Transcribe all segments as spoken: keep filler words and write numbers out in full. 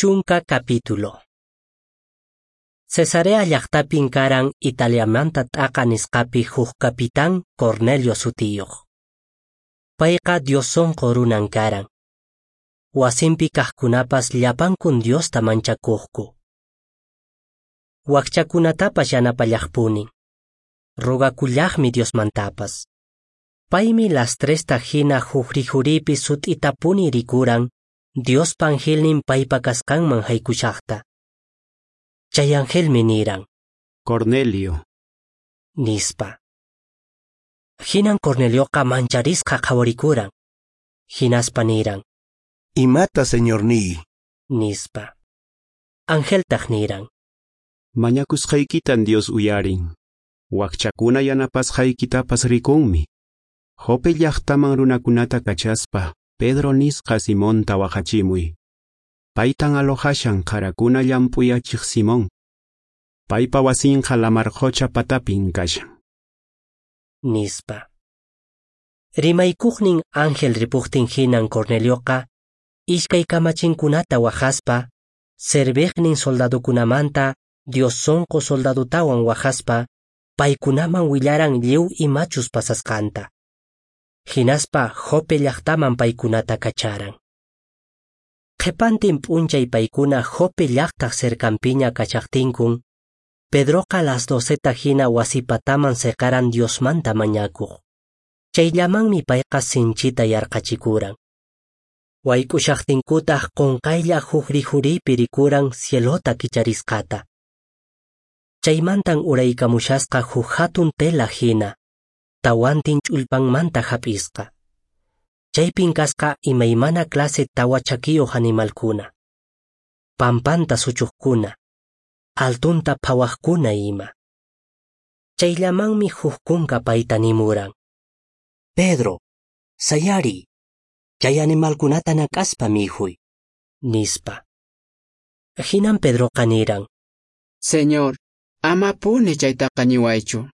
Chunka capítulo. Cesarea llaqtapin karan Italiamanta t'aqa nisqapi huk capitán Cornelio sutiyuq. Payqa Dios sonqo runan karan. Wasinpi kaqkunapas llapankun Diosta manchakuqku. Wakchakunatapas yanapallaqpunin. Rogakullaqmi Diosmantapas. Paymi las tresta hina huk rikhuriypi sut'itapuni rikuran Diospa angelnin paypa kasqanman haykushaqta. Chay angelmi niran: Cornelio, nispa. Hinan Cornelioqa mancharisqa qhawarikuran. Hinaspa niran: Imata, señorniy? Nispa. Angeltaq niran: Mañakusqaykitan Dios uyarin. Wakchakuna yanapasqaykitapas rikunmi. Jope llaqtaman runakunata kachaspa, Pedro nisqa Simonta wahachimuy. Paytan alojashan qarakuna llamp'uyachiq Simón. Paypa wasinqa lamar qocha patapin kashan. Nispa. Rimaykuqnin ángel ripuqtin hinan Cornelioqa iskay kamachinkunata wahaspa, serviqnin soldadukunamanta Dios sonqo soldadutawan wahaspa, paykunaman willaran lliw imachus pasasqanta. Hinaspa Jope llaqtaman paykunata kacharan. Qhipantin p'unchay paykuna Jope llaqtaq cercanpiña kachaqtinkun, Pedroqa las doceta hina wasipataman seqaran Diosmanta mañakuq. Chayllamanmi payqa sinchita yarqachikuran. Wayk'ushaqtinkutaq qunqaylla huk rikhuriypi rikuran cielota kicharisqata. Chaymantan uraykamushasqa huk hatun tela hina, tawantin ch'ullpanmanta hap'isqa. Chaypin kasqa imaymana clase tawa chakiyuq animalkuna, pampanta suchuqkuna, altunta phawaqkuna ima. Chayllamanmi huk kunka payta nimuran: Pedro, sayariy, chay animalkunata nak'aspa mikhuy, nispa. Hinan Pedroqa niran: Señor, amapuni chaytaqa niwaychu.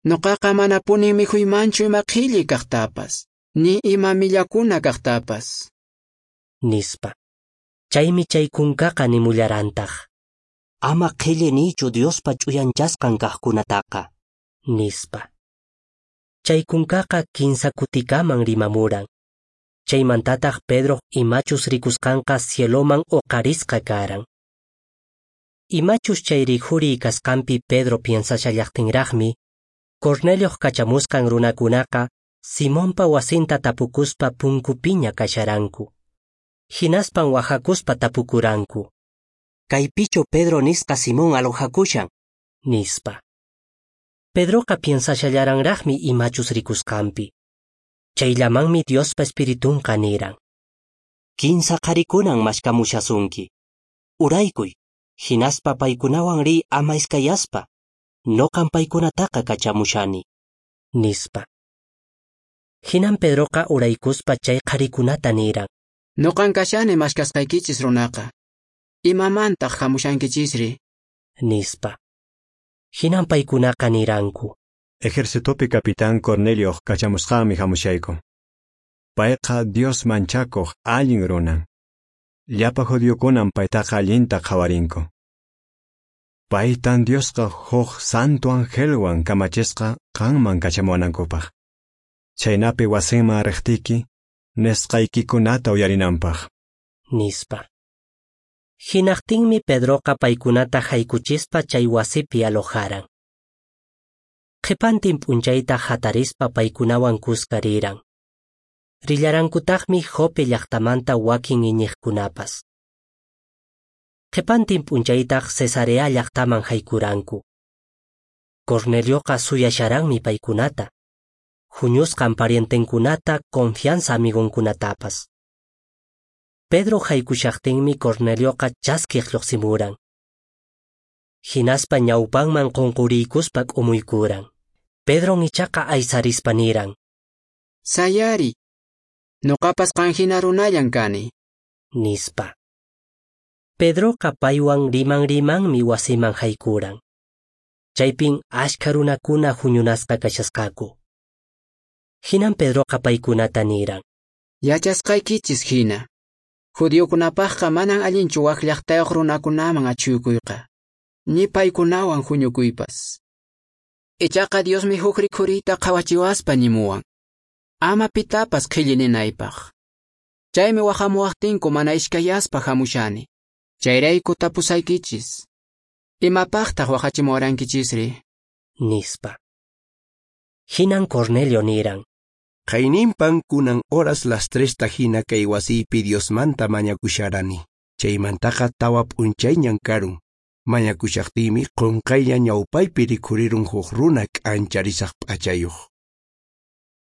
Noqaqa manapuni mikhuymanchu ima qhilli kaqtapas, ni ima millakuna kaqtapas. Nispa. Chaymi chay kunkaqa nimullarantaq: Ama qhilli niychu Diospa ch'uyanchasqan kaqkunataqa, nispa. Chay kunkaqa kinsa kutikaman rimamuran. Chaymantataq Pedroq imachus rikusqanqa cieloman uqarisqa karan. Imachus chay rikhuriy kasqanpi Pedro piensashallaqtinraqmi, Cornelioq kachamusqan runakunaqa Simonpa wasinta tapukuspa punkupiña kasharanku. Hinaspan wahakuspa tapukuranku: Kaypichu Pedro nisqa Simón alojakushan, nispa. Pedroqa piensashallaranraqmi imachus rikusqanpi. Chayllamanmi Diospa espiritunqa niran: Kinsa qharikunan mashkamushasunki. Uraykuy, hinaspa paykunawan riy ama iskayaspa. Noqan paykunataqa kachamushani, nispa. Hinan Pedroqa uraykuspa chay qharikunata niran: Noqan kashani mashkasqaykichis runaqa. Imamantaq hamushankichisri? Nispa. Hinan paykunaqa niranku: Ejercitopi capitán Cornelioq kachamusqanmi hamushayku. Payqa Dios manchakuq allin runan. Llapa judiokunan paytaqa allinta qhawarinku. Paytan Diosqa huk santo angelwan kamachisqa qanman kachamuwanankupaq. Chaynapi wasinman riqtiyki, nisqaykikunata uyarinanpaq. Nispa. Hinaqtinmi Pedroqa paykunata haykuchispa chay wasipi alojaran. Qhipantin p'unchayta hatarispa paykunawan kuska riran. Rillarankutaqmi Jope llaqtamanta wakin iñiqkunapas. Qhipantin p'unchaytaq Cesarea llaqtaman haykuranku. Cornelioqa suyasharanmi paykunata, huñusqan parientenkunata, confianza amigonkunatapas. Pedro haykushaqtinmi Cornelioqa chaskiq lluqsimuran. Hinaspa ñawpanman qunquriykuspa k'umuykuran. Pedron ichaqa aysarispa niran: Sayariy, noqapas qan hina runallan kani, nispa. Pedroqa paywan riman rimanmi wasiman haykuran. Chaypin ashkha runakuna huñunasqa kashasqaku. Hinan Pedroqa paykunata niran: Yachasqaykichis hina, Judiokunapaqqa manan allinchu wak llaqtayuq runakunaman achhuykuyqa, ni paykunawan huñukuypas. Ichaqa Diosmi huk rikhuriyta qhawachiwaspa nimuwan, ama pitapas qhilli ninaypaq. Chaymi wahamuwaqtinku mana iskayaspa hamushani. Chayrayku tapusaykichis. Imapaqtaq wahachimuwarankichisri? Nispa. Hinan Cornelio niran. Qayninpan kunan horas las tresta hina kay wasiypi Diosmanta mañakusharani. Chaymantaqa tawa p'unchayñan karun. Mañakushaqtiymi qunqaylla ñawpaypi rikhurirun huk runa k'ancharisaq p'achayuq.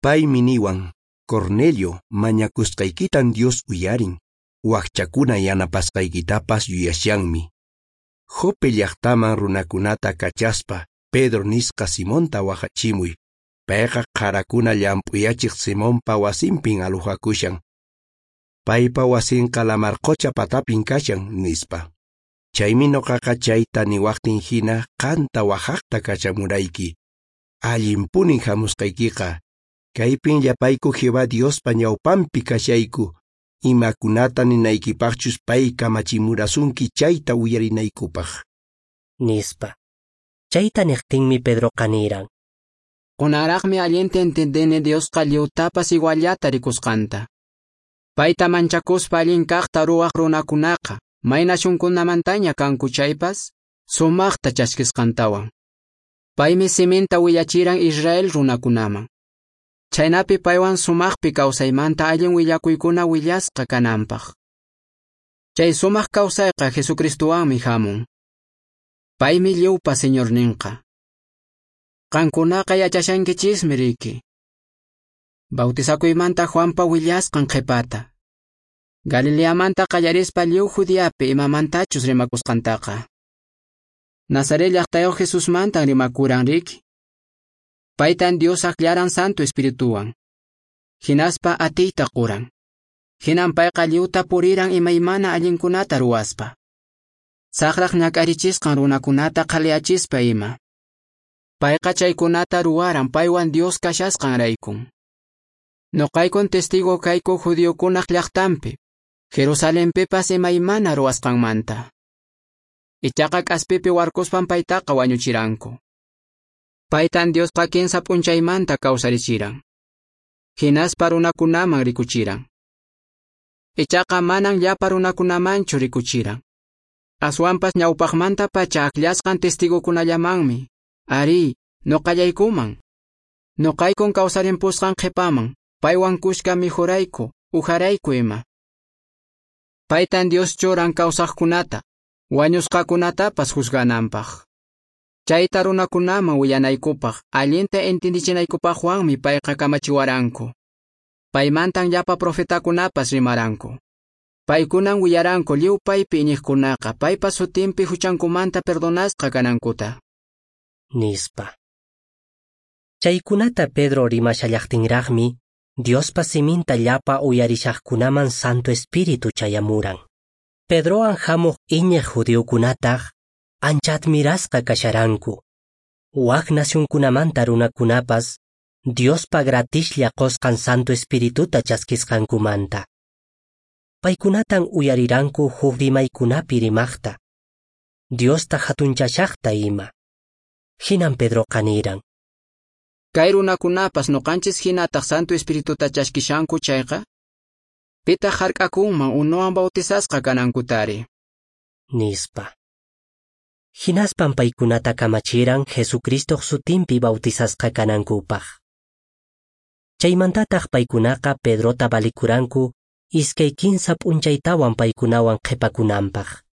Paymi niwan, Cornelio, mañakusqaykitan Dios uyarin. Wakchakuna yanapasqaykitapas yuyashanmi. Jope llaqtaman runakunata kachaspa, Pedro nisqa Simonta wahachimuy. Payqa qarakuna llamp'uyachiq Simonpa wasinpin aluhakushan. Paypa wasinqa lamar qucha patapin kashan, nispa. Chaymi nuqaqa chayta niwaqtin hina qanta wahaqta kachamurayki. Allinpunin hamusqaykiqa. Kaypin llapayku Jehová Diospa ñawpanpi kashayku. Imakunata ninaykipaqchus pay kamachimurasunki chayta uyarinaykupaq. Nispa. Chayta niqtinmi Pedroqa niran. Kunaraqmi allinta entendini Diosqa lliwtapas iguallata rikusqanta. Payta manchakuspa allin kaqta ruwaq runakunaqa, may nasyunkunamantaña kanku chaypas, sumaqta chaskisqantawan. Paymi siminta willachiran Israel runakunaman. Chaynapi paywan sumaqpi kawsaymanta allin willakuykuna willasqa kananpaq. Chay sumaq kawsayqa Jesucristowanmi hamun. Paymi lliwpa Señorninqa. Qankunaqa yachashankichismi riki. Bautizakuymanta Juanpa willasqan qhipata. Galileamanta qallarispa lliw Judeapi imamantachus rimakusqantaqa. Nazaret llaqtayuq Jesusmantan rimakuran riki. Paytan Dios aklaran Santo Espirituwan. Hinaspa atiyta quran. Hinan payqa lliwta puriran imaymana allinkunata ruwaspa. Saqraq ñak'arichisqan runakunata qhaliyachispa ima. Payqa chaykunata ruwaran paywan Dios kashasqanraykun. Nuqaykun testigo kayku judiokunaq llaqtanpi, Jerusalenpipas imaymana ruwasqanmanta. Ichaqa k'aspipi warkuspan paytaqa wañuchiranku. Paytan Diosqa kinsa p'unchaymanta kawsarichiran. Hinaspa runakunaman rikuchiran. Ichaqa manan llapa runakunamanchu rikuchiran. Aswanpas ñawpaqmanta pacha akllasqan testigokunallamanmi. Ari, nuqallaykuman. Nuqaykun kawsarimpusqan qhipaman, paywan kushka mikhurayku, uharayku ima. Paytan Dios churan kawsaqkunata, wañusqakunatapas juzgananpaq. Chayta runakunaman willanaykupaq, allinta entendichinaykupaqwanmi payqa kamachiwaranku. Paymantan llapa profetakunapas rimaranku. Paykunan willaranku lliw paypi iñiqkunaqa paypa sutinpi huchankumanta perdonasqa kanankuta. Nispa. Chaykunata Pedro rimashallaqtinraqmi, Diospa siminta llapa uyarishaqkunaman Santo Espíritu chayamuran. Pedrowan hamuq iñiq judiokunataq ancha admirasqa kasharanku. Wak nasyunkunamanta runakunapas Diospa gratislla qusqan Santo Espirituta chaskisqankumanta. Paykunatan uyariranku huk rimaykunapi rimaqta, Diosta hatunchashaqta ima. Hinan Pedroqa niran. Kay runakunapas nuqanchis hinataq Santo Espirituta chaskishanku chayqa, pitaq hark'akunman unuwan bautizasqa kanankutari. Nispa. Hinaspan paykunata kamachiran Jesucristoq sutinpi bautizasqa kanankupaq. Chaymantataq paykunaqa Pedrota balikuranku iskay kinsa p'unchaytawan paykunawan qhipakunanpaq.